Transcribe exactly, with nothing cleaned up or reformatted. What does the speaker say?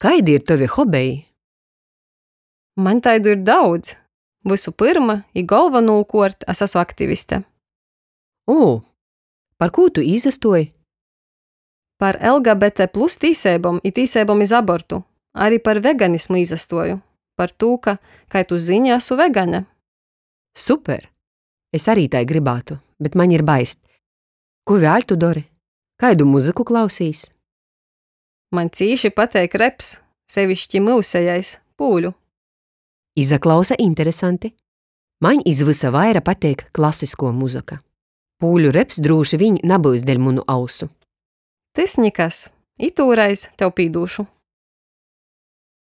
Kaidi ir tovi hobeji? Maņ taidu ir daudz. Vysu pyrma i golvonūkuort es asu aktiviste. O, par kū tu īsastuoj? Par L G B T plus tīseibom i tīseibom iz abortu. Ari par veganismu īsastuoju. Par tū, ka, kai tu zyni, asu vegane. Super! Es ari tai grybātu, bet maņ ir baist. Kū vēļ tu dori? Kaidu muzyku klausīs? Maņ cīši pateik reps, seviški myusejais, pūļu. Izaklausa interesanti. Maņ iz vysa vaira pateik klasiskuo muzyka. Pūļu reps drūši viņ nabyus deļ munu ausu. Tys nikas. Itūreiz tev pīdūšu.